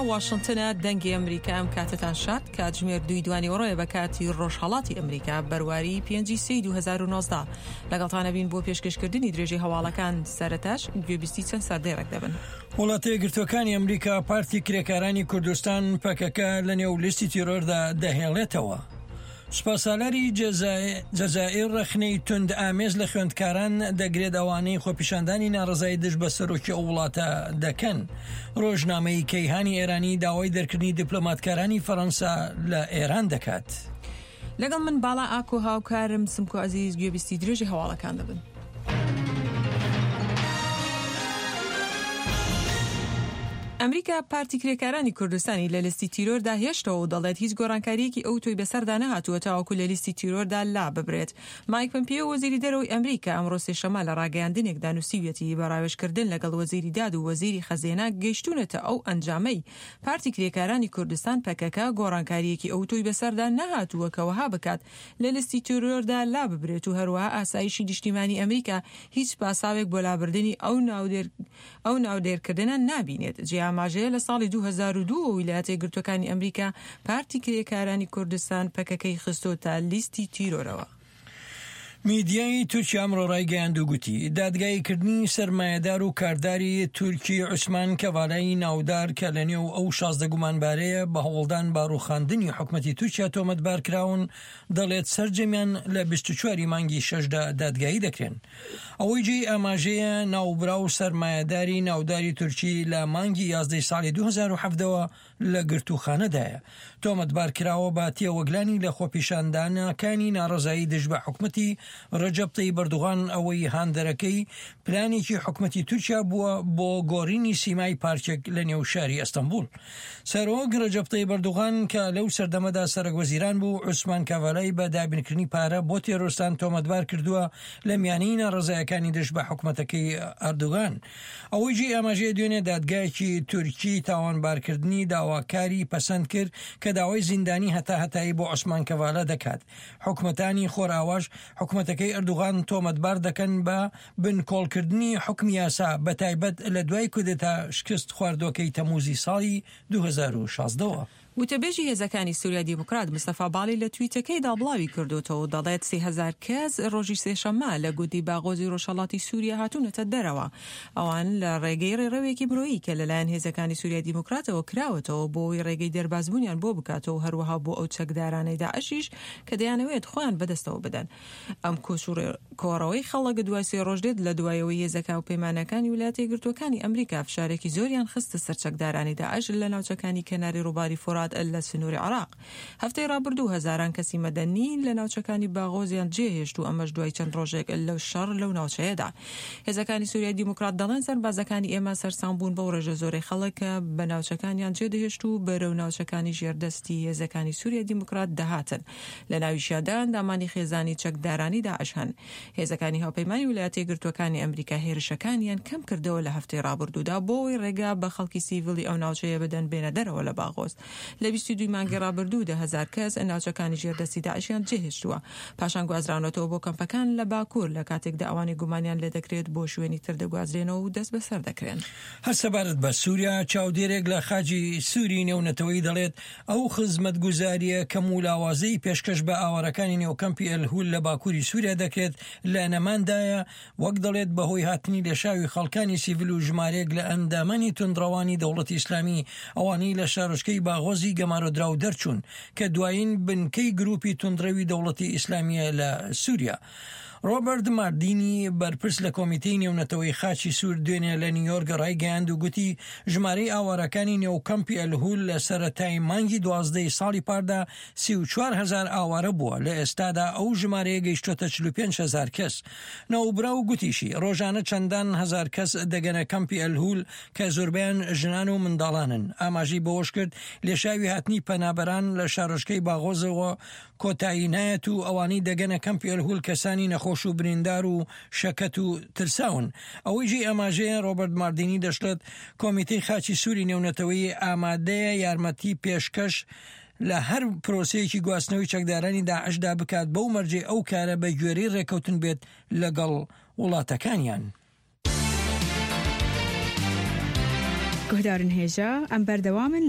ئێرە واشنتنە دەنگی ئەمریکا ئەم کاتەتان شاد کاتژمێر دووی دوانیوەڕۆیە بە کاتی ڕۆژهەڵاتی ئەمریکا بەرواری پێنجی سێی 2019 لەگەڵتانە بین بۆ پێشکەشکردنی درێژەی هەواڵەکان سەرەتاش گوێبیستی چەند سەردێڕێک دەبن. وڵاتە یەکگرتووەکانی ئەمریکا پارتی کرێکارانی کوردستان پەکەکە لە نێو لیستی تیرۆردا دەهێڵێتەوە. سوپاسالاری جەزائیر ڕەخنەی توند ئامێز لە خوێندکاران دەگرێت ئەوانەی خۆپیشاندانی ناڕەزایی دژ بە سەرۆکی ئەو وڵاتە دەکەن. ڕۆژنامەی کەیهانی ئێرانی داوای دەرکردنی دیپلۆماتکارانی فەرەنسا لە ئێران دەکات. لەگەڵ من باڵا ئاکۆ هاوکارم سمکۆ عەزیز گوێبیستی درێژی هەواڵەکان دەبن. ئەمریکا پارتی کرێکارانی کوردستانی لە لیستی تیرۆردا هێشتەوە و دەڵێت هیچ گۆڕانکارییەکی ئەوتۆی بەسەردا نەهاتووە تاوەکو لە لیستی تیرۆردا لاببرێت. مایک پەمپیۆ وەزیری دەرەوەی ئەمریکا ئەمڕۆ سێشەممە لە ڕاگەیاندنێکدا نووسیویەتی بە ڕاوێژکردن لەگەڵ وەزیری داد و وەزیری خەزێنە گەیشتوونەتە ئەو ئەنجامەی پارتی کرێکارانی کوردستان پەکەکە گۆڕانکارییەکی ئەوتۆی بەسەردا نەهاتووە کە وەها بکات لە لیستی تیرۆردا لاببرێت و هەروەها ئاسایشی نیشتیمانی ئەمریکا هیچ پاساوێک بۆ لابردنی ئەو ئەو ناودێرکردنە نابینێت. جێی ئاماژەیە لە ساڵی 2002 وە ویلایەتە یەکگرتووەکانی ئەمریکا پارتی کرێکارانی کوردستان پەکەکەی خستۆتە لیستی تیرۆرەوە. میدیای تورکیا ئەمڕۆ ڕایگەیاند و گوتی، دادگاییکردنی سەرمایەدار و کارداری تورکی عوسمان کەڤالای ناودار کە لەنێو ئەو 16 گومانبارەیە بە هەوڵدان بە ڕووخاندنی حکومەتی تورکیا تۆمەتبار کراون، دەڵێت سەرجەمیان لە 24 ی مانگی شەشدا دادگایی دەکرێن. ئەوەی جێی ئاماژەیە ناوبراو سەرمایەداری ناوداری تورکی لە مانگی یازدەی ساڵی 2017 ەوە لە گرتووخانەدایە. تۆمەتبار کراوە بە تێوەگلانی لە خۆپیشاندانەکانی ناڕەزایی دژ بە حکومەتی رەجەب تەیب ئەردوغان ئەوەی هاندەرەکەی پلانێکی حکومەتی تورکیا بووە بۆ گۆڕینی سیمای پارکێک لە نێو شاری ئەستەنبوڵ. سەرۆک رەجەب تەیب ئەردوغان کە لەو سەردەمەدا سەرەک وەزیران بوو، عوسمان کاڤالای بە دابینکردنی پارە بۆ تێرۆرستان تۆمەتبار کردووە لە میانەی ناڕەزایەکانی دژ بە حکومەتەکەی ئەردوغان. ئەوەی جێی ئاماژەیە دوێنێ دادگایەکی تورکی تاوانبارکردنی داواکاری پەسەند کرد کە داوای زیندانی هەتاهەتایی بۆ عوسمان کەڤالە دەکات. حکومەتانی خۆرئاواش حکومەتەکەی ئەردوغان تۆمەتبار دەکەن بە بنکۆڵکردنی حوکمی یاسا بەتایبەت لە دوای کودەتا شکست خواردوەکەی تەموزی ساڵی 2016 وە. وتەبێژی هێزەکانی سوریای دیموکرات مستەفا باڵی لە تویتەکەیدا بڵاوی کردۆتەوە و دەڵێت 3000 کەس ڕۆژی سێشەممە لە گوندی باغۆزی ڕۆژهەڵاتی سوریا هاتوونەتە دەرەوە. ئەوان لە ڕێگەی ڕێڕەوێکی مرۆیی کە لەلایەن هێزەکانی سوریای دیموکراتەوە کراوەتەوە بۆ ئەوەی ڕێگەی دەربازبوونیان بۆ بکاتەوە و هەروەها بۆ ئەو چەکدارانەی داعشیش کە دەیانەوێت خۆیان بەدەستەوە بدەن. ئەم کۆچ و کۆڕەوەی خەڵک دوای سێ ڕۆژ دێت لە دوای ئەوەی هێزە هاوپەیمانەکانی ویلایەتە یەکگرتووەکانی ئەمریکا فشارێکی زۆریان خستە سەر چەکدارانی داعش لە ناوچەکانی کەناری ڕووباری فورات لە سنووری عێراق. هەفتەی ڕابردوو هەزاران کەسی مەدەنی لە ناوچەکانی باغۆزیان جێهێشت و ئەمەش دوای چەند ڕۆژێک لە شەڕ لەو ناوچەیەدا. هێزەکانی سوریای دیموکرات دەڵێن سەربازەکانی ئێمە سەرسام بوون بەو ڕێژە زۆرەی خەڵک کە بە ناوچەکانیان جێدەهێشت و بەرەو ناوچەکانی ژێر دەستی هێزەکانی سوریای دیموکرات دەهاتن. لە ناویشیاندا ئەندامانی خێزانی چەکدارانی داعش هەن. هێزەکانی هاوپەیمانی ویلایەتە یەکگرتووەکانی ئەمریکا هێرشەکانیان کەم کردەوە لە هەفتەی ڕابردوودا بۆ ئەوەی ڕێگا بە خەڵکی سیڤیلی ئەو ناوچەیە بدەن بێنە دەرەوە لە باغۆز. لە 22 مانگی ڕابردوو 10,000 کەس ناوچەکانی ژێر دەستی داعشیان جێهێشتووە پاشان گوازراونەتەوە بۆ کەمپەکان لە باکوور لە کاتێکدا ئەوانەی گومانیان لێدەکرێت بۆ شوێنی تر دەگوازرێنەوە و دەستبەسەر دەکرێن. هەر سەبارەت بە سووریا، چاودێرێک لە خاچی سووری نێونەتەوەیی دەڵێت، ئەو خزمەتگوزارییە کەم و لاوازەی پێشکەش بە ئاوارەکانی نێو کەمپی ئەلهول لە باکووری سووریا دەکرێت لە نەماندایە، وەک دەڵێت بەهۆی هاتنی لێشاوی خەڵکانی سیڤیل و ژمارەیەک لە ئەندامانی توندڕەوانی دەوڵەتی ئیسلامی ئەوانەی لە شارۆچکەی باغۆزی گەمارۆدراو دەرچوون کە دوایین بنکەی گروپی توندڕەوی دەوڵەتی ئیسلامییە لە سووریا. ڕۆبەرت ماردینی بەرپرس لە کۆمیتەی نێونەتەوەی خاچی سوور دوێنێ لە نیویۆرک ڕایگەیاند و گوتی ژمارەی ئاوارەکانی نێو کەمپی ئەلهول لە سەرەتای مانگی دوازدەی ساڵی پاردا 34 هەزار ئاوارە بووە لە ئێستادا ئەو ژمارەیە گەیشتۆتە 45 هەزار کەس. ناوبراو گوتیشی ڕۆژانە چەندان هەزار کەس دەگەنە کەمپی ئەلهول کە زۆربەیان ژنان و منداڵانن. ئاماژەی بەوەشکرد لێشاوی هاتنی پەنابەران لە شارۆچکەی باغۆزەوە کۆتایی نایەت و ئەوانەی دەگەنە کەمپی ئەلهول کەسانی نەخۆش و بریندار و شەکەت و ترساون. ئەوەی جێی ئاماژەیە ڕۆبەرت ماردینی دەشڵێت کۆمیتەی خاچی سووری نێونەتەوەیی ئامادەیە یارمەتی پێشکەش لە هەر پرۆسەیەکی گواستنەوەی چەکدارانی داعشدا بکات بەو مەرجەی ئەو کارە بە گوێرەی ڕێکەوتن بێت لەگەڵ وڵاتەکانیان. گوهدارن هێژا، ئەم بەردەوامن.